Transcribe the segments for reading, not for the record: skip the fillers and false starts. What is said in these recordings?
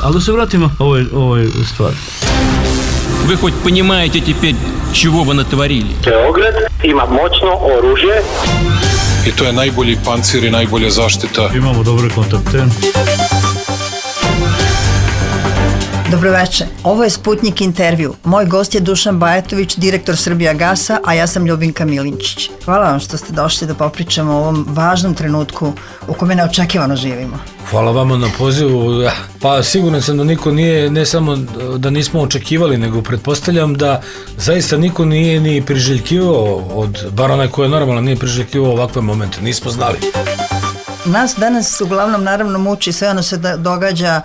Ali da se vratimo ovoj stvari. Вы хоть понимаете теперь, чего вы натворили? Beograd ima moćno oružje. I to je najbolji pancir i najbolja zaštita. Imamo dobre kontakte. Dobroveče, ovo je Sputnik intervju. Moj gost je Dušan Bajatović, direktor Srbijagasa, a ja sam Ljubinka Milinčić. Hvala vam što ste došli da popričamo o ovom važnom trenutku u kome neočekivano živimo. Hvala vama na pozivu. Pa siguran sam da niko nije, ne samo da nismo očekivali, nego pretpostavljam da zaista niko nije ni priželjkivao, bar onaj ko je normalan, nije priželjkivao ovakve momente. Nismo znali. Nas danas uglavnom naravno muči sve ono se događa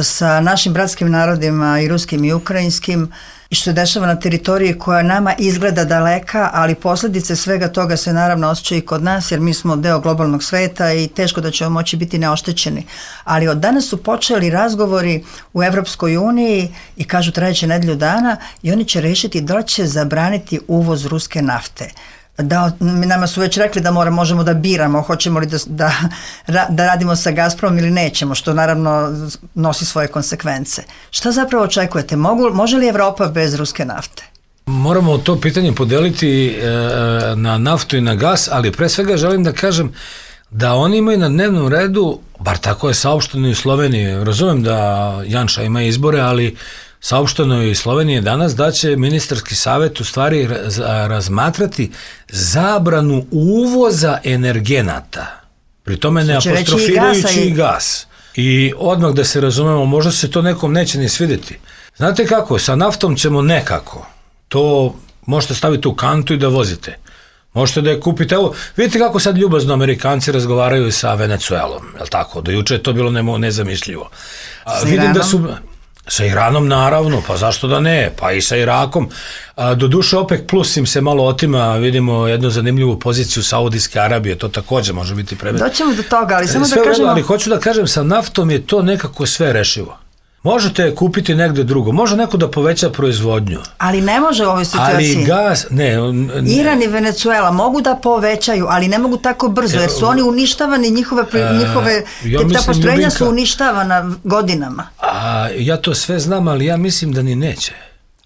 sa našim bratskim narodima i ruskim i ukrajinskim i što se dešava na teritoriji koja nama izgleda daleka, ali posljedice svega toga se naravno osjećaju i kod nas jer mi smo deo globalnog sveta i teško da ćemo moći biti neoštećeni. Ali od danas su počeli razgovori u Evropskoj uniji i kažu trajeće nedelju dana i oni će rešiti da li će zabraniti uvoz ruske nafte. Nama su već rekli da možemo da biramo hoćemo li da radimo sa Gazpromom ili nećemo, što naravno nosi svoje konsekvence. Šta zapravo očekujete? Može li Evropa bez ruske nafte? Moramo to pitanje podeliti na naftu i na gas, ali pre svega želim da kažem da oni imaju na dnevnom redu, bar tako je saopšteno i u Sloveniji, razumem da Janša ima izbore, ali saopšteno je i Slovenije danas da će ministarski savjet u stvari razmatrati zabranu uvoza energenata. Pri tome ne apostrofirajući i gas. I odmah da se razumemo, možda se to nekom neće ni svidjeti. Znate kako, sa naftom ćemo nekako. To možete staviti u kantu i da vozite. Možete da je kupite. Evo, vidite kako sad ljubazno Amerikanci razgovaraju sa Venecuelom, je li tako? Do juče je to bilo nezamišljivo. Vidim da su... Sa Iranom naravno, pa zašto da ne, pa i sa Irakom. Doduše OPEC plus im se malo otima, vidimo jednu zanimljivu poziciju Saudijske Arabije, to također može biti predmet. Doćemo do toga, ali samo da kažemo... Ali hoću da kažem, sa naftom je to nekako sve rešivo. Možete kupiti negde drugo, može neko da poveća proizvodnju. Ali ne može u ovoj situaciji. Ali gas, ne. Iran i Venecuela mogu da povećaju, ali ne mogu tako brzo, jer su oni uništavani, ta postrojenja su uništavana godinama. Ja to sve znam, ali ja mislim da ni neće.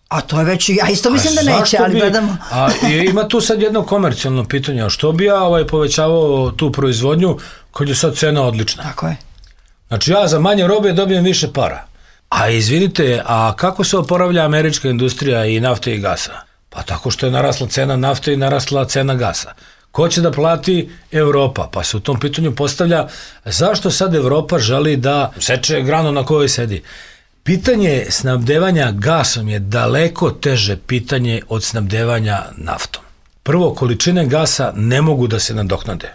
A to je već, ja isto mislim da neće, ali gledamo. Ima tu sad jedno komercijalno pitanje, a što bi ja povećavao tu proizvodnju kad je sad cena odlična? Tako je. Znači ja za manje robe dobijem više para. A izvinite, a kako se oporavlja američka industrija i nafte i gasa? Pa tako što je narasla cena nafte i narasla cena gasa. Ko će da plati? Evropa. Pa se u tom pitanju postavlja zašto sad Evropa želi da seče granu na kojoj sedi. Pitanje snabdevanja gasom je daleko teže pitanje od snabdevanja naftom. Prvo, količine gasa ne mogu da se nadoknade.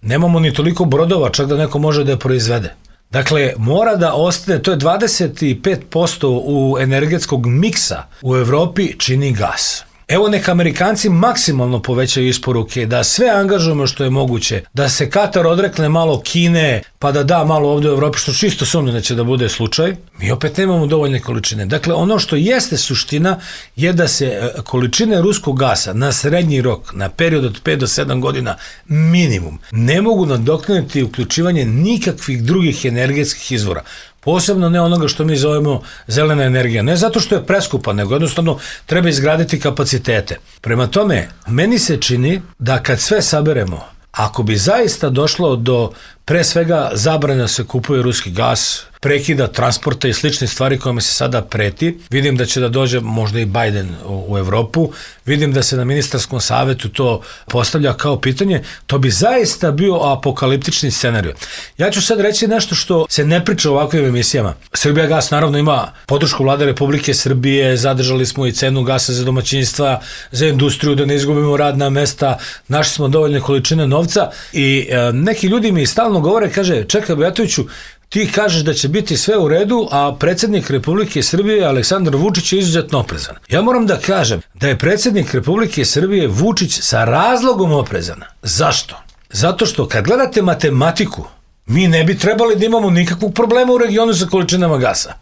Nemamo ni toliko brodova, čak da neko može da je proizvede. Dakle, mora da ostane, to je 25% u energetskog miksa u Evropi čini gas. Evo neka Amerikanci maksimalno povećaju isporuke, da sve angažujemo što je moguće, da se Katar odrekne malo Kine, pa da malo ovdje u Evropi, što čisto sumnjam da će da bude slučaj, mi opet nemamo dovoljne količine. Dakle, ono što jeste suština je da se količine ruskog gasa na srednji rok, na period od 5 do 7 godina minimum, ne mogu nadoknaditi uključivanje nikakvih drugih energetskih izvora. Posebno ne onoga što mi zovemo zelena energija. Ne zato što je preskupa, nego jednostavno treba izgraditi kapacitete. Prema tome, meni se čini da kad sve saberemo, ako bi zaista došlo do pre svega zabrane da se kupuje ruski gas, prekida transporta i slične stvari kojima se sada preti, vidim da će da dođe možda i Biden u Evropu, vidim da se na ministarskom savetu to postavlja kao pitanje, to bi zaista bio apokaliptični scenarij. Ja ću sad reći nešto što se ne priča u ovakvim emisijama. Srbijagas naravno ima podršku Vlade Republike Srbije, zadržali smo i cenu gasa za domaćinstva, za industriju, da ne izgubimo radna mesta, našli smo dovoljne količine novca i neki ljudi mi stalno govore, kaže, čekaj Bajatoviću, ti kažeš da će biti sve u redu, a predsjednik Republike Srbije Aleksandar Vučić je izuzetno oprezan. Ja moram da kažem da je predsjednik Republike Srbije Vučić sa razlogom oprezan. Zašto? Zato što kad gledate matematiku, mi ne bi trebali da imamo nikakvog problema u regionu sa količinama gasa.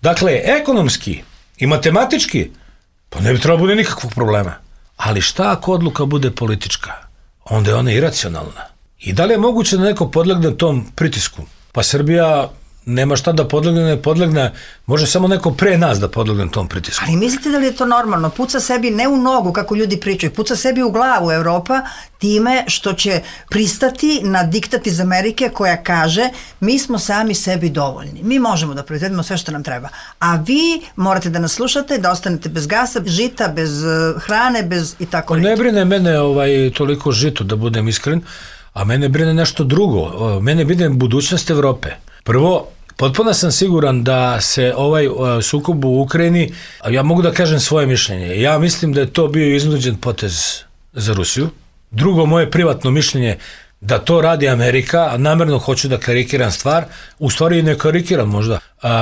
Dakle, ekonomski i matematički, pa ne bi trebalo bude nikakvog problema. Ali šta ako odluka bude politička? Onda je ona iracionalna. I da li je moguće da neko podlegne tom pritisku? Pa Srbija nema šta da podlegne, može samo neko pre nas da podlegne tom pritisku. Ali mislite da li je to normalno? Puca sebi ne u nogu, kako ljudi pričaju, puca sebi u glavu Evropa time što će pristati na diktat iz Amerike koja kaže mi smo sami sebi dovoljni. Mi možemo da proizvedemo sve što nam treba. A vi morate da nas slušate, da ostanete bez gasa, žita, bez hrane, bez i tako Ne brine mene toliko žito, da budem iskren, a mene brine nešto drugo. Mene brine budućnost Evrope. Prvo, potpuno sam siguran da se ovaj sukob u Ukrajini, ja mogu da kažem svoje mišljenje, ja mislim da je to bio iznuđen potez za Rusiju. Drugo, moje privatno mišljenje da to radi Amerika, a namerno hoću da karikiram stvar, u stvari ne karikiram možda,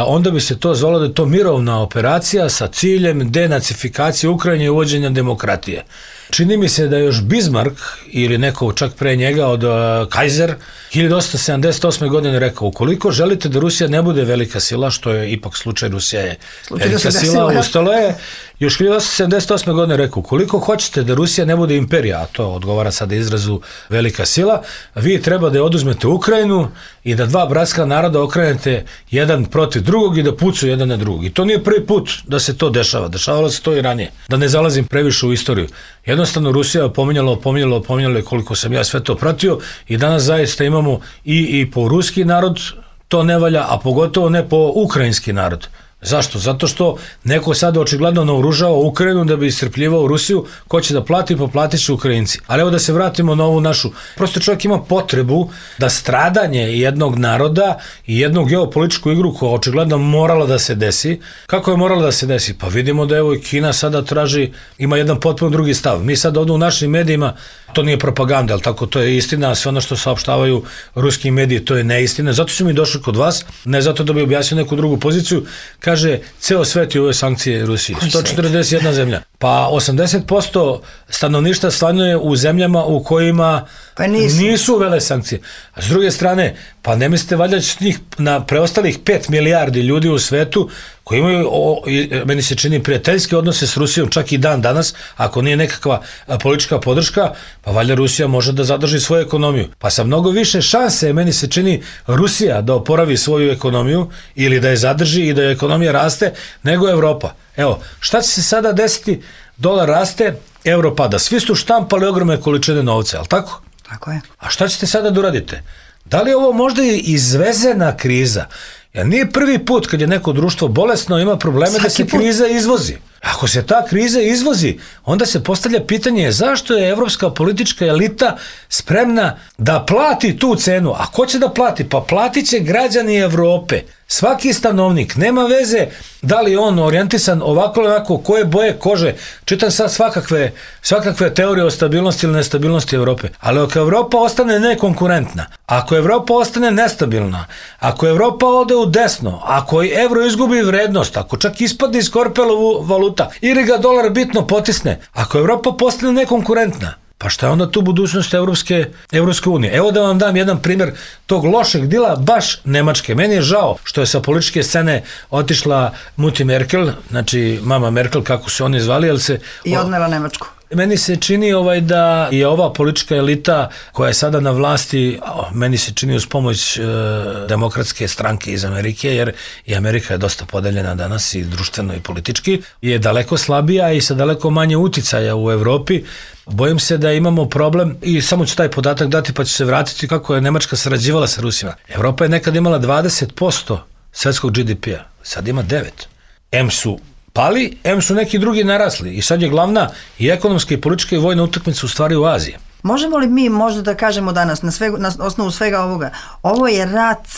onda bi se to zvalo da je to mirovna operacija sa ciljem denacifikacije Ukrajine i uvođenja demokratije. Čini mi se da je još Bismarck ili neko čak pre njega od Kaiser 1878. godine rekao, ukoliko želite da Rusija ne bude velika sila, što je ipak slučaj, Rusija je velika sila, ustalo je, još 1878. godine rekao, ukoliko hoćete da Rusija ne bude imperija, a to odgovara sada izrazu velika sila, vi treba da je oduzmete Ukrajinu i da dva bratska naroda okrenete jedan protiv drugog i da pucaju jedan na drugog. I to nije prvi put da se to dešava. Dešavalo se to i ranije. Da ne zalazim previše u istoriju. Jednostavno Rusija je opominjala koliko sam ja sve to pratio i danas zaista imamo i po ruski narod to ne valja, a pogotovo ne po ukrajinski narod. Zašto? Zato što neko sada očigledno naoružava Ukrajinu da bi iscrpljivao Rusiju, ko će da plati, poplatit će Ukrajinci. Ali evo da se vratimo na ovu našu. Prosto čovjek ima potrebu da stradanje jednog naroda i jednu geopolitičku igru koja očigledno morala da se desi. Kako je morala da se desi? Pa vidimo da evo i Kina sada traži, ima jedan potpuno drugi stav. Mi sad ovdje u našim medijima, to nije propaganda, ali tako to je istina, sve ono što saopštavaju ruski mediji, to je neistina. Zato su mi došli kod vas, ne zato da bi objasnio neku drugu poziciju. Kaže, ceo svet je ove sankcije Rusiji. 141 zemlja. Pa 80% stanovništva stanuje u zemljama u kojima nisu uvele sankcije. A s druge strane, pa ne mislite valjda će njih na preostalih 5 milijardi ljudi u svetu koji imaju, meni se čini, prijateljske odnose s Rusijom, čak i dan danas, ako nije nekakva politička podrška, pa valjda Rusija može da zadrži svoju ekonomiju. Pa sa mnogo više šanse, meni se čini, Rusija da oporavi svoju ekonomiju ili da je zadrži i da je ekonomija raste, nego Evropa. Evo, šta će se sada desiti? Dolar raste, euro pada. Svi su štampali ogromne količine novca, ali tako? Tako je. A šta ćete sada da uradite? Da li je ovo možda i izvezena kriza? Jer nije prvi put kad je neko društvo bolesno, ima probleme da se kriza izvozi. Ako se ta kriza izvozi, onda se postavlja pitanje zašto je evropska politička elita spremna da plati tu cenu. A ko će da plati? Pa platit će građani Evrope. Svaki stanovnik, nema veze da li on orijentisan ovako ili onako, koje boje kože. Čitam sad svakakve teorije o stabilnosti ili nestabilnosti Evrope. Ali ako Evropa ostane nekonkurentna, ako Evropa ostane nestabilna, ako Evropa ode u desno, ako evro izgubi vrednost, ako čak ispadne iz korpelovu valuta ili ga dolar bitno potisne, ako Evropa postane nekonkurentna, pa šta je onda tu budućnost Evropske unije? Evo da vam dam jedan primjer tog lošeg dila baš Nemačke. Meni je žao što je sa političke scene otišla Mutti Merkel, znači mama Merkel, kako se oni zvali, i odnela Nemačku. Meni se čini da je ova politička elita koja je sada na vlasti, meni se čini uz pomoć demokratske stranke iz Amerike, jer i Amerika je dosta podeljena danas i društveno i politički, je daleko slabija i sa daleko manje uticaja u Evropi. Bojim se da imamo problem i samo ću taj podatak dati pa ću se vratiti kako je Nemačka sarađivala sa Rusima. Evropa je nekad imala 20% svetskog GDP-a, sad ima 9%. M su pali, su neki drugi narasli i sad je glavna i ekonomska i politička i vojna utakmica u stvari u Aziji. Možemo li mi možda da kažemo danas na osnovu svega ovoga, ovo je rat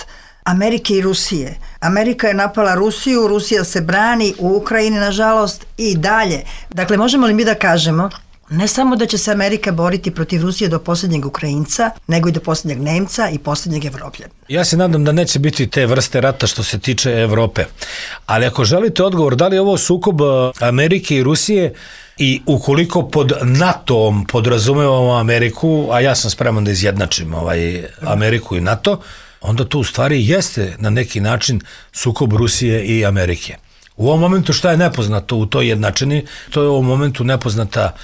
Amerike i Rusije. Amerika je napala Rusiju, Rusija se brani u Ukrajini nažalost i dalje. Dakle, možemo li mi da kažemo ne samo da će se Amerika boriti protiv Rusije do posljednjeg Ukrajinca, nego i do posljednjeg Nemca i posljednjeg Evropljanina? Ja se nadam da neće biti te vrste rata što se tiče Evrope. Ali ako želite odgovor, da li je ovo sukob Amerike i Rusije i ukoliko pod NATO-om podrazumevamo Ameriku, a ja sam spreman da izjednačim Ameriku i NATO, onda to u stvari jeste na neki način sukob Rusije i Amerike. U ovom momentu šta je nepoznato u toj jednačini, to je u ovom momentu nepoznata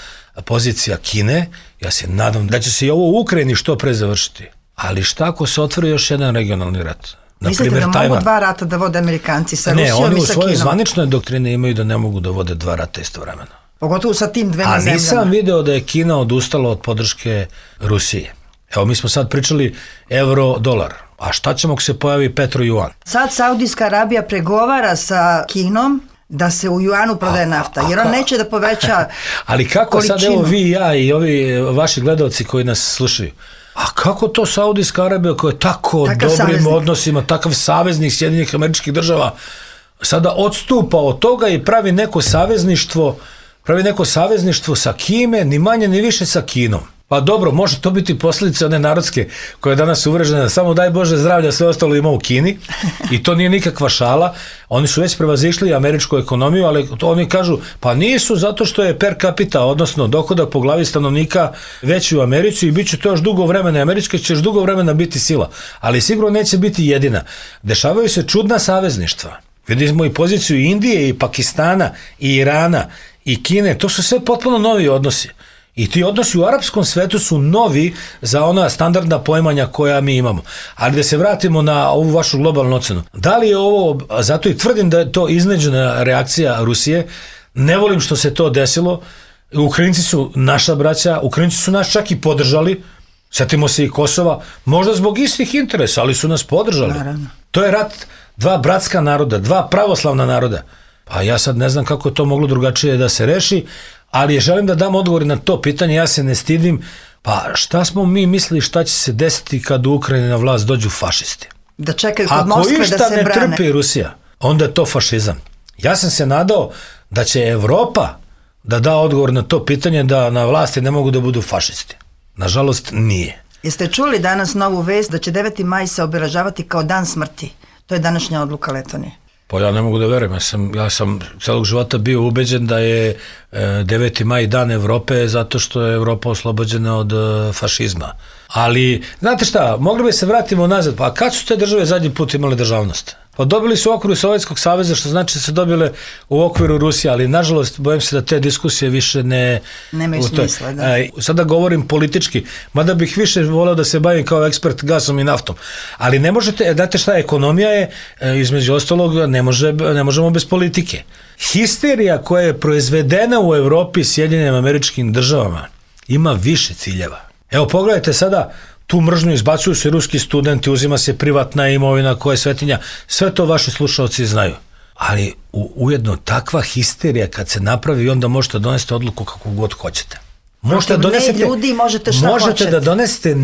pozicija Kine. Ja se nadam da će se i ovo u Ukrajini što pre završiti. Ali šta ako se otvori još jedan regionalni rat? Mislite da mogu dva rata da vode Amerikanci sa Rusijom i sa Kinom? Ne, oni u svojoj zvaničnoj doktrini imaju da ne mogu da vode dva rata istovremeno. Pogotovo sa tim dvema zemljama. A nisam video da je Kina odustala od podrške Rusije. Evo, mi smo sad pričali euro-dolar. A šta ćemo ako se pojavi petro-juan? Sad Saudijska Arabija pregovara sa Kinom da se u juanu prodaje nafta, jer on neće da poveća ali kako količinu. Sad evo vi i ja i ovi vaši gledalci koji nas slušaju, a kako to Saudijska Arabija koja je tako dobrim saveznik. Odnosima, takav saveznik Sjedinjenih Američkih Država sada odstupa od toga i pravi neko savezništvo sa kime, ni manje ni više sa Kinom. Pa dobro, može to biti posljedica one narodske koja je danas uvrežena, samo daj Bože zdravlja, sve ostalo ima u Kini i to nije nikakva šala. Oni su već prevazišli američku ekonomiju, ali oni kažu, pa nisu zato što je per capita, odnosno dohodak po glavi stanovnika veći u Americi i bit će to još dugo vremena, Američka će još dugo vremena biti sila, ali sigurno neće biti jedina. Dešavaju se čudna savezništva. Vidimo i poziciju Indije i Pakistana i Irana i Kine, to su sve potpuno novi odnosi. I ti odnosi u arapskom svetu su novi za ona standardna poimanja koja mi imamo. Ali da se vratimo na ovu vašu globalnu ocenu. Da li je ovo, zato i tvrdim da je to iznenađena reakcija Rusije, ne volim što se to desilo, Ukrajinci su naša braća, Ukrajinci su nas čak i podržali, sjetimo se i Kosova, možda zbog istih interesa, ali su nas podržali. Naravno. To je rat dva bratska naroda, dva pravoslavna naroda. Pa ja sad ne znam kako je to moglo drugačije da se reši, ali želim da dam odgovor na to pitanje, ja se ne stidim, pa šta smo mi mislili šta će se desiti kad u Ukrajini na vlast dođu fašisti? Da čekaju kod Moskve da se brane. Ako išta ne trpi Rusija, onda je to fašizam. Ja sam se nadao da će Evropa da da odgovor na to pitanje da na vlasti ne mogu da budu fašisti. Nažalost, nije. Jeste čuli danas novu vest da će 9. maj se obeležavati kao dan smrti? To je današnja odluka Letonije. Pa ja ne mogu da verujem, ja sam celog života bio ubeđen da je 9. maj dan Evrope zato što je Evropa oslobođena od fašizma. Ali, znate šta, mogli bi se vratimo nazad, pa kad su te države zadnji put imale državnost? Pa dobili su u okviru Sovjetskog saveza, što znači da su dobile u okviru Rusije, ali nažalost bojim se da te diskusije više nemaju smisla. Da. Sada govorim politički, mada bih više voleo da se bavim kao ekspert gasom i naftom. Ali ne možete, znate šta, ekonomija je, između ostalog, ne možemo bez politike. Histerija koja je proizvedena u Evropi Sjedinjenim Američkim Državama ima više ciljeva. Evo pogledajte sada, tu mržnju izbacuju se ruski studenti, uzima se privatna imovina koja je svetinja, sve to vaši slušalci znaju. Ali ujedno takva histerija kad se napravi, onda možete donesti odluku kako god hoćete. Možete da donesete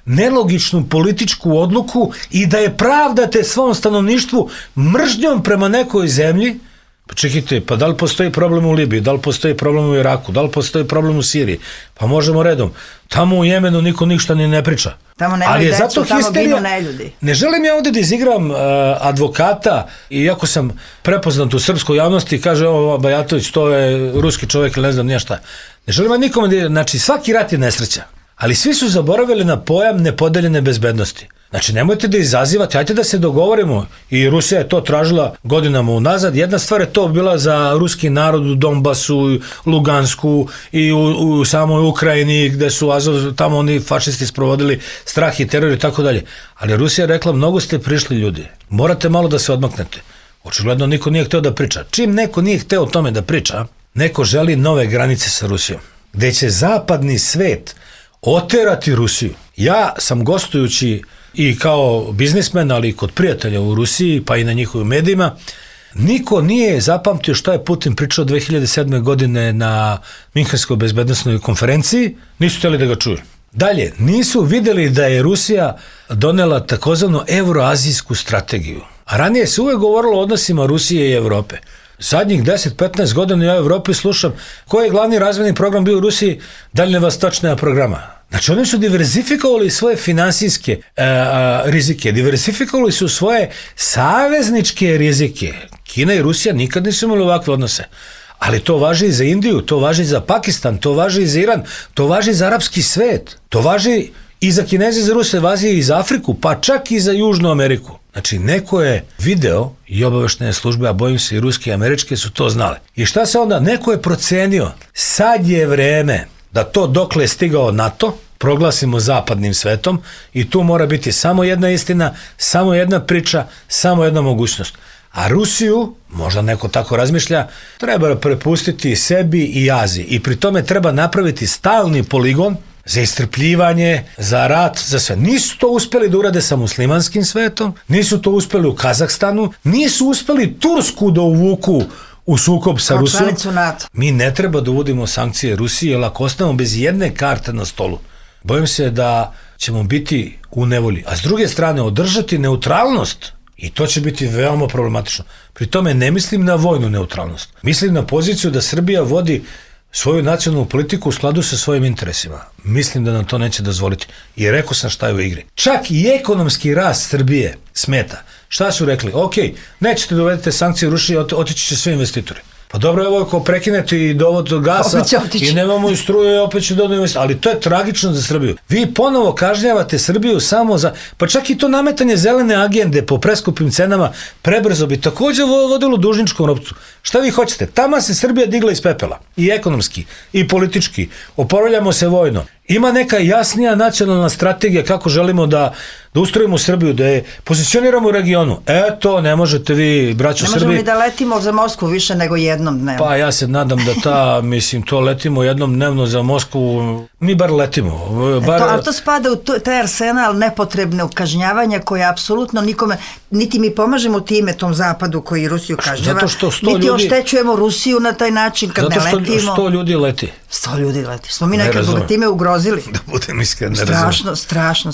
nelogičnu političku odluku i da je pravdate svom stanovništvu mržnjom prema nekoj zemlji. Pa čekajte, pa da li postoji problem u Libiji, da li postoji problem u Iraku, da li postoji problem u Siriji? Pa možemo redom. Tamo u Jemenu niko ništa ni ne priča. Tamo nemaju decu, tamo ginu neljudi. Ne želim ja ovdje da izigram advokata, iako sam prepoznat u srpskoj javnosti, kaže ovo Bajatović, to je ruski čovjek ili ne znam nije šta. Ne želim ja nikome znači svaki rat je nesreća, ali svi su zaboravili na pojam nepodeljene bezbednosti. Znači, nemojte da izazivate, hajte da se dogovorimo, i Rusija je to tražila godinama unazad. Jedna stvar je to bila za ruski narod u Donbasu, Lugansku i u samoj Ukrajini, gde su tamo oni fašisti sprovodili strah i teror i tako dalje. Ali Rusija je rekla, mnogo ste prišli ljudi, morate malo da se odmaknete. Očigledno niko nije hteo da priča. Čim neko nije hteo o tome da priča, neko želi nove granice sa Rusijom, gde će zapadni svet oterati Rusiju. Ja sam gostujući i kao biznismen, ali i kod prijatelja u Rusiji, pa i na njihovim medijima, niko nije zapamtio šta je Putin pričao 2007. godine na Minhenskoj bezbednosnoj konferenciji, nisu htjeli da ga čuju. Dalje, nisu vidjeli da je Rusija donela takozvanu euroazijsku strategiju. A ranije se uvek govorilo o odnosima Rusije i Evrope. Zadnjih 10-15 godina ja u Evropi slušam koji je glavni razvojni program bio u Rusiji, daljnjevostočna programa. Znači oni su diverzifikovali svoje finansijske rizike, diverzifikovali su svoje savezničke rizike. Kina i Rusija nikad nisu imali ovakve odnose. Ali to važi i za Indiju, to važi i za Pakistan, to važi i za Iran, to važi i za arapski svet, to važi i za Kineze, za Ruse, važi i za Afriku, pa čak i za Južnu Ameriku. Znači, neko je video i obaveštene službe, a bojim se i ruske i američke su to znale. I šta se onda? Neko je procenio, sad je vreme da to dokle je stigao NATO, proglasimo zapadnim svetom i tu mora biti samo jedna istina, samo jedna priča, samo jedna mogućnost. A Rusiju, možda neko tako razmišlja, treba prepustiti sebi i Aziji i pri tome treba napraviti stalni poligon za istrpljivanje, za rat, za sve. Nisu to uspeli da urade sa muslimanskim svetom, nisu to uspeli u Kazahstanu, nisu uspeli Tursku da uvuku u sukob sa Rusijom. Mi ne treba da uvodimo sankcije Rusiji, jer ako ostavimo bez jedne karte na stolu, bojim se da ćemo biti u nevolji. A s druge strane, održati neutralnost, i to će biti veoma problematično. Pri tome ne mislim na vojnu neutralnost. Mislim na poziciju da Srbija vodi svoju nacionalnu politiku u skladu sa svojim interesima. Mislim da nam to neće dozvoliti. I rekao sam šta je u igri. Čak i ekonomski rast Srbije smeta. Šta su rekli? Ok, nećete da uvedete sankcije Rusije, otići će svi investitori. Pa dobro, evo ako prekinete i dovod gasa i nemamo i struje, opet će dodati investitori. Ali to je tragično za Srbiju. Vi ponovo kažnjavate Srbiju samo za... Pa čak i to nametanje zelene agende po preskupim cenama prebrzo bi također vodilo dužničkom ropcu. Šta vi hoćete? Tamo se Srbija digla iz pepela. I ekonomski, i politički. Oporavljamo se vojno. Ima neka jasnija nacionalna strategija kako želimo da ustrojimo Srbiju, da je pozicioniramo u regionu. Eto, ne možete vi, braćo Srbiji... Ne možemo ni da letimo za Moskvu više nego jednom dnevno. Pa ja se nadam da to letimo jednom dnevno za Moskvu, mi bar letimo. Ali to spada u taj arsenal nepotrebnog kažnjavanja koje apsolutno nikome, niti mi pomažemo time tom zapadu koji Rusiju kažnjava, niti oštećujemo Rusiju na taj način kad ne letimo. Zato što 100 ljudi leti. 100 ljudi leti. Smo mi nekako time ugrozili. Da budem iskren, ne razumem. Strašno.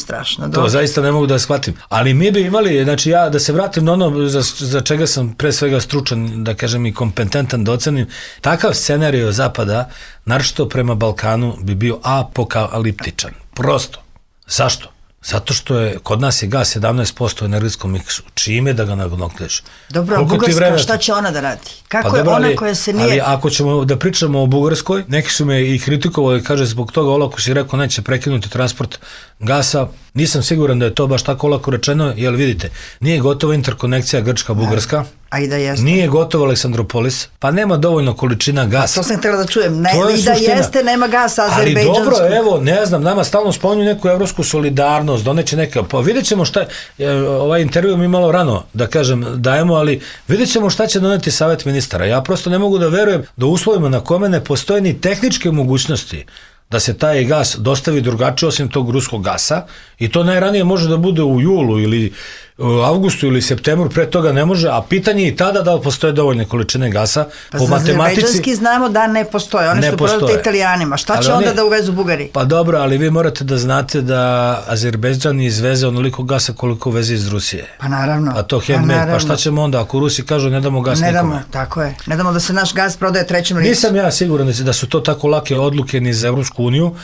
To zaista ne mogu da shvatim. Ali mi bi imali, znači ja da se vratim na ono za čega sam pre svega stručan, da kažem i kompetentan da ocenim, takav scenario Zapada, naročito prema Balkanu, bi bio apokaliptičan. Prosto. Zašto? Zato što je, kod nas je gas 17% u energetskom miksu. Čime da ga nagnokneš? Dobro, a Bugarska, šta će ona da radi? Kako je ona koja se nije... Ali ako ćemo da pričamo o Bugarskoj, neki su me i kritikovali, kaže, zbog toga olako si rekao neće prekinuti transport gasa. Nisam siguran da je to baš tako olako rečeno, jer vidite, nije gotova interkonekcija Grčka-Bugarska, a i da jeste. Nije gotov Aleksandropolis, pa nema dovoljno količina gasa. To sam htjela da čujem. I da jeste, nema gasa azerbejdžanskog. Ali dobro, evo, ne znam, nama stalno spominju neku evropsku solidarnost, doneće neka, pa vidjet ćemo šta, ovaj intervju mi malo rano, da kažem, dajemo, ali vidjet ćemo šta će doneti Savet ministara. Ja prosto ne mogu da verujem da u uslovima na kome ne postoje ni tehničke mogućnosti da se taj gas dostavi drugačije osim tog ruskog gasa i to najranije može da bude u julu ili u avgustu ili septembru, pre toga ne može, a pitanje je i tada da li postoje dovoljne količine gasa. Pa po matematici... Azerbejdžanski znamo da ne postoje, oni su prodati Italijanima. Šta će onda da uvezu Bugari? Pa dobro, ali vi morate da znate da Azerbejdžan izveze onoliko gasa koliko uveze iz Rusije. Pa naravno. A to handmade, pa šta ćemo onda ako Rusi kažu ne damo gas nikome? Ne damo, tako je. Ne damo da se naš gas prodaje trećem licu. Nisam ja siguran da su to tako lake odluke ni za Evropsku uniju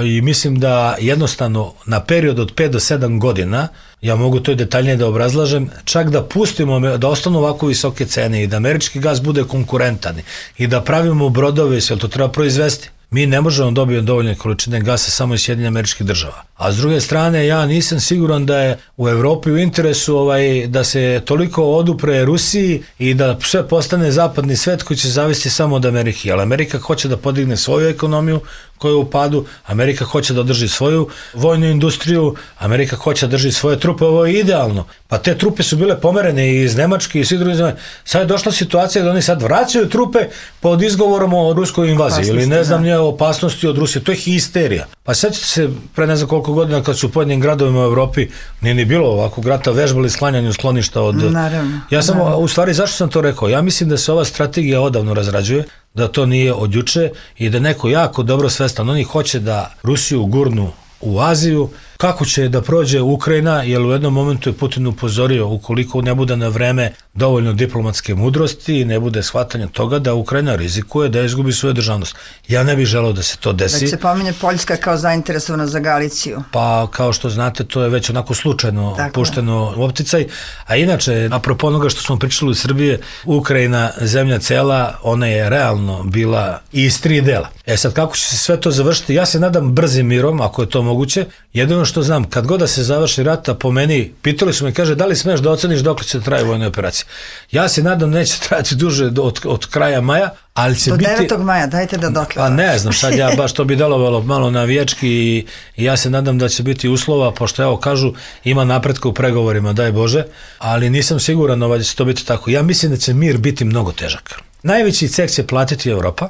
i mislim da jednostavno na period od 5 do 7 godina, ja mogu to i detaljnije da obrazlažem, čak da pustimo, da ostanu ovako visoke cene i da američki gas bude konkurentan i da pravimo brodove i sve, to treba proizvesti. Mi ne možemo dobiti dovoljne količine gasa samo iz Sjedinjenih Američkih Država. A s druge strane, ja nisam siguran da je u Evropi u interesu da se toliko odupre Rusiji i da sve postane zapadni svet koji će zavisi samo od Amerike. Ali Amerika hoće da podigne svoju ekonomiju koja je u padu, Amerika hoće da održi svoju vojnu industriju, Amerika hoće da drži svoje trupe, ovo je idealno. Pa te trupe su bile pomerene iz Nemačke i svih drugih zemalja. Sad je došla situacija da oni sad vraćaju trupe pod izgovorom o ruskoj invaziji ili ne znam nije opasnosti od Rusije. To je histerija. Pa sećate se pre ne znam koliko godina kad su u pojedinim gradovima u Evropi nije ni bilo ovakvog rata, vežbali sklanjanju skloništa od... Naravno. Ja sam, u stvari, zašto sam to rekao? Ja mislim da se ova strategija odavno razrađuje, da to nije od juče i da neko jako dobro svestan. Oni hoće da Rusiju gurnu u Aziju, kako će da prođe Ukrajina, jer u jednom momentu je Putin upozorio ukoliko ne bude na vreme dovoljno diplomatske mudrosti i ne bude shvatanja toga da Ukrajina rizikuje da izgubi svoju državnost. Ja ne bih želeo da se to desi. Da se pominje Poljska kao zainteresovana za Galiciju. Pa kao što znate to je već onako slučajno pušteno u opticaj, a inače apropo onoga što smo pričali u Srbije, Ukrajina, zemlja cela, ona je realno bila iz 3 dela. Sad kako će se sve to završiti, ja se nadam brzim mirom, ako je to moguće. Jedino jedino što znam, kad god da se završi rata, po meni, pitali su me, kaže, da li smeš da oceniš dokle će trajati vojne operacije? Ja se nadam neće trajati duže od kraja maja, ali će biti... Do 9. maja, dajte da dokle. Pa ne znam, sad ja baš to bi delovalo malo navijački i ja se nadam da će biti uslova, pošto evo kažu, ima napretka u pregovorima, daj Bože, ali nisam siguran da će to biti tako. Ja mislim da će mir biti mnogo težak. Najveći ceh će platiti Evropa.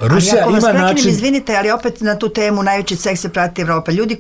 Rusija ali ako ima način... izvinite, ali opet na tu temu najveći ceh se prati Evropa. Ljudi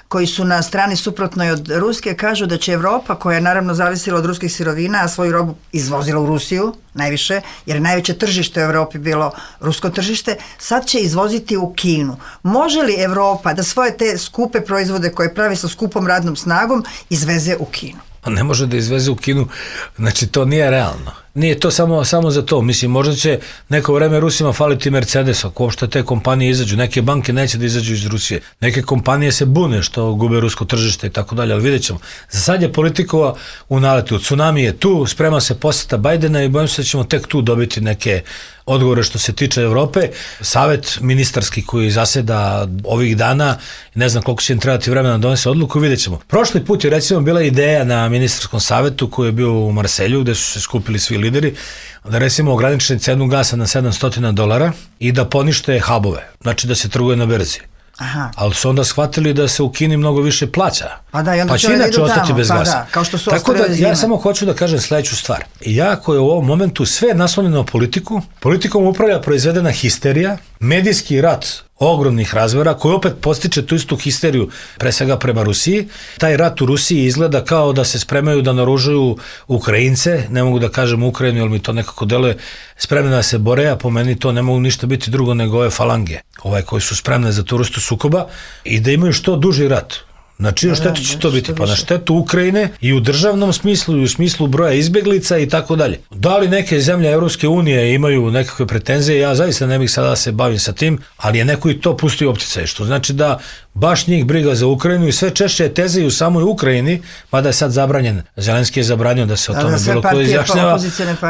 koji su na strani suprotnoj od Ruske kažu da će Evropa, koja je naravno zavisila od ruskih sirovina, a svoju robu izvozila u Rusiju najviše, jer je najveće tržište u Evropi bilo rusko tržište, sad će izvoziti u Kinu. Može li Evropa da svoje te skupe proizvode koje pravi sa skupom radnom snagom izveze u Kinu? Ne može da izveze u Kinu, znači to nije realno. Nije to samo za to, mislim, možda će neko vreme Rusima faliti Mercedes, ako uopšte te kompanije izađu, neke banke neće da izađu iz Rusije, neke kompanije se bune što gube rusko tržište i tako dalje, ali vidjet ćemo. Za sad je politika u naletu, tsunami je tu, sprema se poseta Bajdena i bojim se da ćemo tek tu dobiti neke odgovore što se tiče Evrope. Savet ministarski koji zaseda ovih dana, ne znam koliko će im trebati vremena da donese odluku, vidjet ćemo. Prošli put je recimo bila ideja na ministarskom savetu koji je bio u Marselju, gde su se skupili svi lideri, da recimo ograničeni cenu gasa na $700 i da ponište hubove, znači da se trguje na berzi. Aha. Ali su onda shvatili da se u Kini mnogo više plaća. Pa će inače ostati bez gasa. Da, kao što su tako da ja samo hoću da kažem sledeću stvar. Jako je u ovom momentu sve naslonjeno na politiku. Politikom upravlja proizvedena histerija, medijski rat ogromnih razmera koji opet postiče tu istu histeriju pre svega prema Rusiji. Taj rat u Rusiji izgleda kao da se spremaju da naoružaju Ukrajince, ne mogu da kažem Ukrajinu, jer mi to nekako deluje, spremne da se bore, a po meni to ne mogu ništa biti drugo nego ove falange, koji su spremne za tu vrstu sukoba i da imaju što duži rat. Na čiju štetu će to biti? Pa na štetu Ukrajine i u državnom smislu i u smislu broja izbeglica i tako dalje. Da li neke zemlje Evropske unije imaju nekakve pretenzije? Ja zaista ne bih sada da se bavim sa tim, ali je neko i to pustio opticaj, što znači da baš njih briga za Ukrajinu i sve češće je teze i u samoj Ukrajini, mada je sad zabranjen, Zelenski je zabranio da se o tome bilo ko izjašnjava.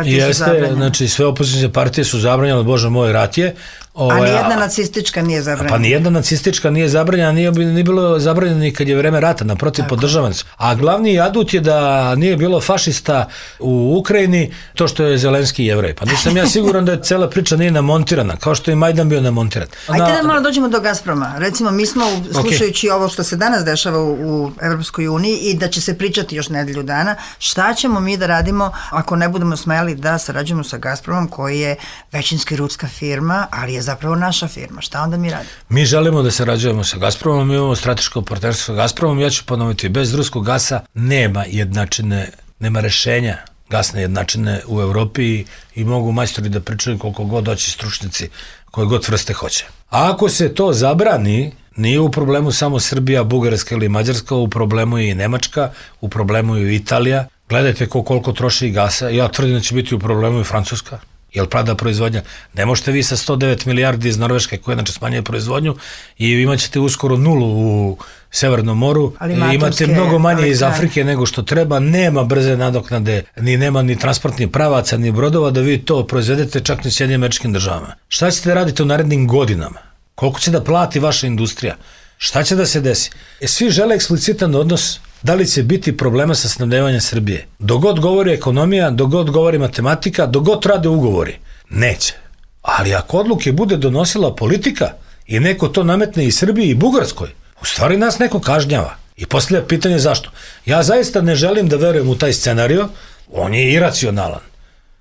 Jeste, znači sve opozicijne partije su zabranjene, Bože moj, rat je. A nijedna nacistička nije zabranjena. Pa nijedna nacistička nije zabranjena, nije bilo zabranjeno ni kad je vreme rata, naprotiv podržavani su. A glavni adut je da nije bilo fašista u Ukrajini, to što je Zelenski Jevrej. Pa nisam ja siguran da je cela priča nije namontirana, kao što je Majdan bio namontiran. Ajde da malo dođemo do Gazproma. Recimo, mi smo, slušajući ovo što se danas dešava u Evropskoj uniji i da će se pričati još nedelju dana, šta ćemo mi da radimo ako ne budemo smeli da sarađujemo sa Gazpromom, koji je većinski ruska firma, ali je zapravo naša firma. Šta onda mi radimo? Mi želimo da sarađujemo sa Gazpromom, mi imamo strateško partnerstvo sa Gazpromom, ja ću ponoviti, bez ruskog gasa nema jednačine, nema rešenja gasne jednačine u Evropi i mogu majstori da pričaju koliko god doći stručnici koje god vrste hoće. A ako se to zabrani, nije u problemu samo Srbija, Bugarska ili Mađarska, u problemu je i Nemačka, u problemu je i Italija. Gledajte koliko troši gasa, ja tvrdim da će biti u problemu i Francuska. Jel pada proizvodnja? Ne možete vi sa 109 milijardi iz Norveške, koja znači smanjuje proizvodnju, i imat ćete uskoro nulu u Severnom moru, imate mnogo manje iz Afrike nego što treba, nema brze nadoknade, nema ni transportnih pravaca, ni brodova da vi to proizvedete čak ni Sjedinjenim Američkim Državama. Šta ćete raditi u narednim godinama? Koliko će da plati vaša industrija? Šta će da se desi? Svi žele eksplicitan odnos da li će biti problema sa snabdevanjem Srbije. Dok god govori ekonomija, dok god govori matematika, dok god rade ugovori. Neće. Ali ako odluke bude donosila politika i neko to nametne i Srbiji i Bugarskoj, u stvari nas neko kažnjava. I poslije pitanje zašto. Ja zaista ne želim da verujem u taj scenario, on je iracionalan.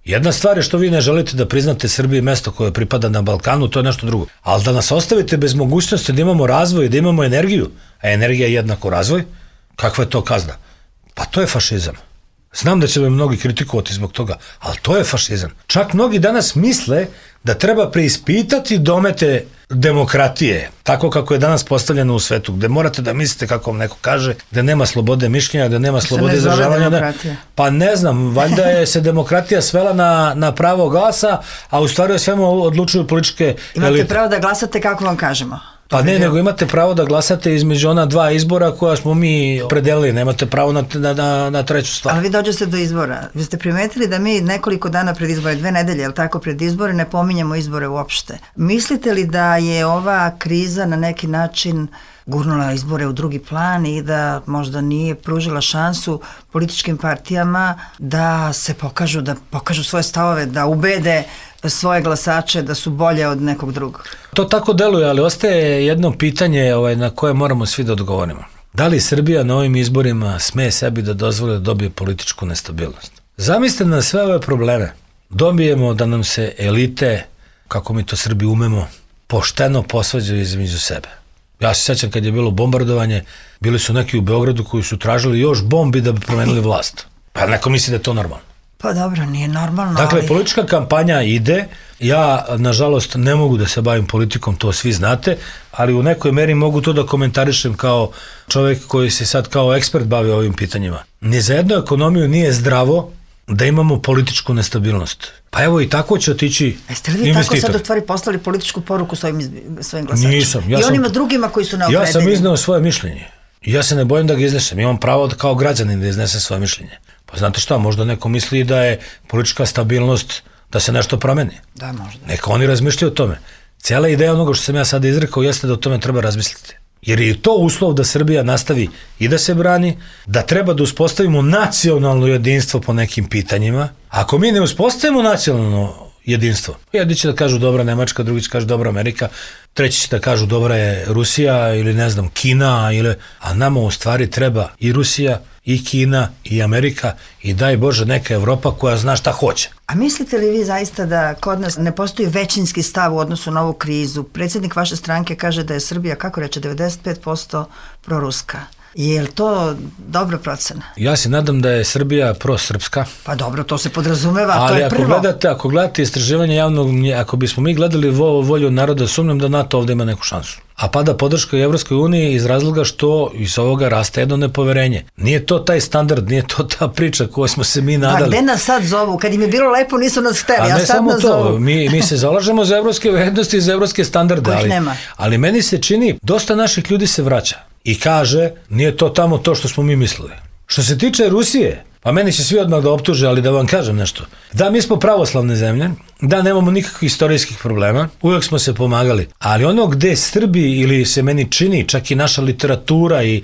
Jedna stvar je što vi ne želite da priznate Srbiji mesto koje pripada na Balkanu, to je nešto drugo. Ali da nas ostavite bez mogućnosti da imamo razvoj, da imamo energiju, a energija je jednako razvoj, kakva je to kazna? Pa to je fašizam. Znam da će me mnogi kritikovati zbog toga, ali to je fašizam. Čak mnogi danas misle da treba preispitati domete demokratije, tako kako je danas postavljeno u svetu, gde morate da mislite kako vam neko kaže, gde nema slobode mišljenja, gde nema slobode izražavanja. Pa ne znam, valjda je se demokratija svela na pravo glasa, a u stvari o svemu odlučuju političke elite. Imate pravo da glasate kako vam kažemo. Pa ne, nego imate pravo da glasate između ona dva izbora koja smo mi predelili, nemate pravo na treću stvar. Ali vi dođete do izbora. Vi ste primetili da mi nekoliko dana pred izbore, 2 nedelje, jel tako, pred izbore, ne pominjemo izbore uopšte. Mislite li da je ova kriza na neki način gurnula izbore u drugi plan i da možda nije pružila šansu političkim partijama da se pokažu svoje stavove, da ubede svoje glasače da su bolje od nekog drugog. To tako deluje, ali ostaje jedno pitanje na koje moramo svi da odgovorimo. Da li Srbija na ovim izborima sme sebi da dozvoli da dobije političku nestabilnost? Zamislite na sve ove probleme. Dobijemo da nam se elite, kako mi to Srbi umemo, pošteno posvađaju između sebe. Ja se sećam kad je bilo bombardovanje, bili su neki u Beogradu koji su tražili još bombi da bi promenili vlast. Pa neko misli da je to normalno. Pa dobro, nije normalno. Dakle, politička kampanja ide, ja nažalost ne mogu da se bavim politikom, to svi znate, ali u nekoj meri mogu to da komentarišem kao čovjek koji se sad kao ekspert bavi ovim pitanjima. Ni za jednu ekonomiju nije zdravo da imamo političku nestabilnost. Pa evo i tako će otići investitor. Jeste li vi tako sad u stvari poslali političku poruku svojim glasačima? Nisam. I onima drugima koji su neopredeljeni? Ja sam izneo svoje mišljenje. Ja se ne bojim da ga iznesem. Imam pravo kao građanin da iznesem svoje mišljenje. Pa znate šta, možda neko misli da je politička stabilnost da se nešto promeni. Da, možda. Neka oni razmišljaju o tome. Cijela ideja onoga što sam ja sada izrekao jeste da o tome treba razmisliti. Jer je to uslov da Srbija nastavi i da se brani, da treba da uspostavimo nacionalno jedinstvo po nekim pitanjima. Ako mi ne uspostavimo nacionalno jedinstvo, jedni će da kažu dobra Nemačka, drugi će kažu dobra Amerika, treći će da kažu dobra je Rusija ili ne znam Kina, a nama u stvari treba i Rusija, i Kina, i Amerika i daj Bože neka Evropa koja zna šta hoće. A mislite li vi zaista da kod nas ne postoji većinski stav u odnosu na ovu krizu? Predsjednik vaše stranke kaže da je Srbija, kako reče, 95% proruska. Je li to dobra procena? Ja se nadam da je Srbija prosrpska. Pa dobro, to se podrazumeva, ali to je prvo. Ali ako gledate istraživanje javnog, ako bismo mi gledali volju naroda, sumnjam da NATO ovdje ima neku šansu. A pada podrška Evropskoj uniji iz razloga što iz ovoga raste jedno nepoverenje. Nije to taj standard, nije to ta priča koju smo se mi nadali. Pa gde nas sad zovu? Kad im je bilo lepo nisu nas hteli, a sad nas zovu. Mi se zalažemo za evropske vrednosti i za evropske standarde, ali meni se čini, dosta naših ljudi se vraća i kaže, nije to tamo to što smo mi mislili. Što se tiče Rusije, pa meni će svi odmah da optuže, ali da vam kažem nešto. Da, mi smo pravoslavne zemlje, da, nemamo nikakvih istorijskih problema, uvijek smo se pomagali, ali ono gde Srbi ili se meni čini, čak i naša literatura i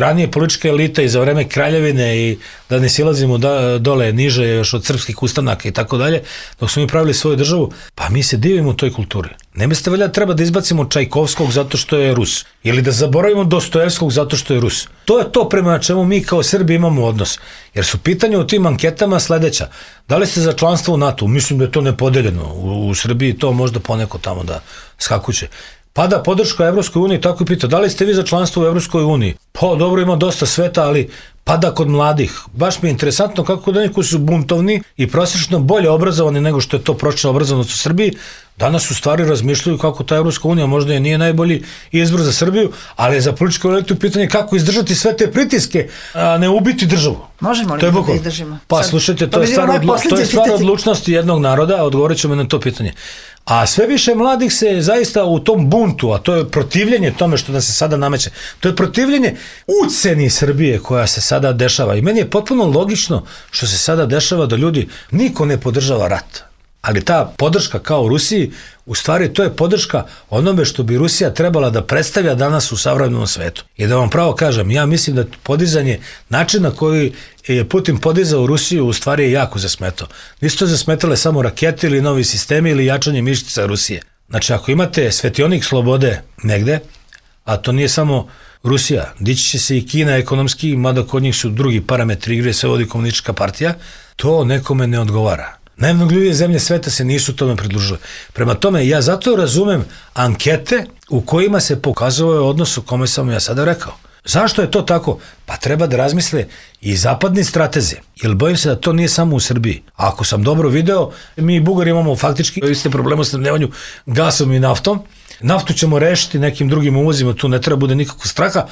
ranije politička elita i za vreme kraljevine i da ne silazimo dole niže još od srpskih ustanaka i tako dalje, dok smo mi pravili svoju državu, pa mi se divimo toj kulturi. Ne mislite valjda treba da izbacimo Čajkovskog zato što je Rus ili da zaboravimo Dostojevskog zato što je Rus. To je to prema čemu mi kao Srbi imamo odnos. Jer su pitanja u tim anketama sledeća. Da li ste za članstvo u NATO? Mislim da je to nepodeljeno. U Srbiji to možda poneko tamo da skakuće. Pada podrška Evropskoj uniji, tako i pita, da li ste vi za članstvo u Evropskoj uniji? Pa dobro, ima dosta sveta, ali pada kod mladih. Baš mi je interesantno kako da neki su buntovni i prosječno bolje obrazovani nego što je to prosječna obrazovanost u Srbiji, danas u stvari razmišljaju kako ta Evropska unija možda i nije najbolji izbor za Srbiju, ali je za političku elitu pitanje kako izdržati sve te pritiske, a ne ubiti državu. Možemo li da izdržimo? Pa slušajte, to je stvar odlučnosti jednog naroda, odgovorit ćemo na to pitanje. A sve više mladih se zaista u tom buntu, a to je protivljenje tome što nam se sada nameće, to je protivljenje uceni Srbije koja se sada dešava. I meni je potpuno logično što se sada dešava da ljudi, niko ne podržava rat. Ali ta podrška kao u Rusiji, u stvari to je podrška onome što bi Rusija trebala da predstavlja danas u savremenom svetu. I da vam pravo kažem, ja mislim da podizanje načina koji je Putin podizao Rusiju u stvari je jako zasmetao. Nisu to zasmetale samo rakete ili novi sistemi ili jačanje mišića Rusije. Znači ako imate svetionik slobode negde, a to nije samo Rusija, dići će se i Kina ekonomski, mada kod njih su drugi parametri igre, sve vodi komunistička partija, to nekome ne odgovara. Najmnoglivije zemlje sveta se nisu tome pridružile. Prema tome, ja zato razumem ankete u kojima se pokazuje odnos u kome sam ja sada rekao. Zašto je to tako? Pa treba da razmisle i zapadni strateze, jer bojim se da to nije samo u Srbiji. A ako sam dobro video, mi i Bugari imamo faktički iste probleme u snabdevanju gasom i naftom. Naftu ćemo rešiti nekim drugim uvozima, tu ne treba bude nikakvog straha,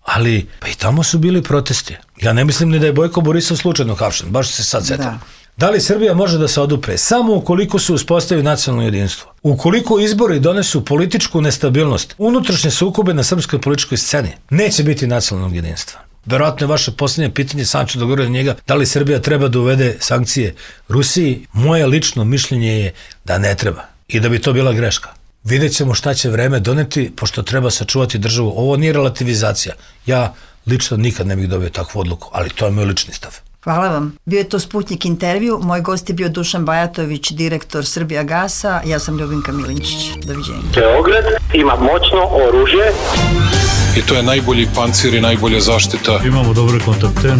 ali pa i tamo su bili protesti. Ja ne mislim ni da je Bojko Borisov slučajno hapšen, baš se sad setam. Da li Srbija može da se odupre? Samo ukoliko se uspostavi nacionalno jedinstvo. Ukoliko izbori donesu političku nestabilnost, unutrašnje sukobe na srpskoj političkoj sceni, neće biti nacionalnog jedinstva. Verovatno je vaše posljednje pitanje, sam ću dogovoriti na njega, da li Srbija treba da uvede sankcije Rusiji? Moje lično mišljenje je da ne treba i da bi to bila greška. Vidjet ćemo šta će vreme doneti, pošto treba sačuvati državu. Ovo nije relativizacija. Ja lično nikad ne bih dobio takvu odluku, ali to je moj lični stav. Hvala vam. Bio je to Sputnik intervju. Moj gost je bio Dušan Bajatović, direktor Srbijagasa. Ja sam Ljubinka Milinčić. Doviđenja. Beograd ima moćno oružje. I to je najbolji pancir i najbolja zaštita. Imamo dobre kontakte.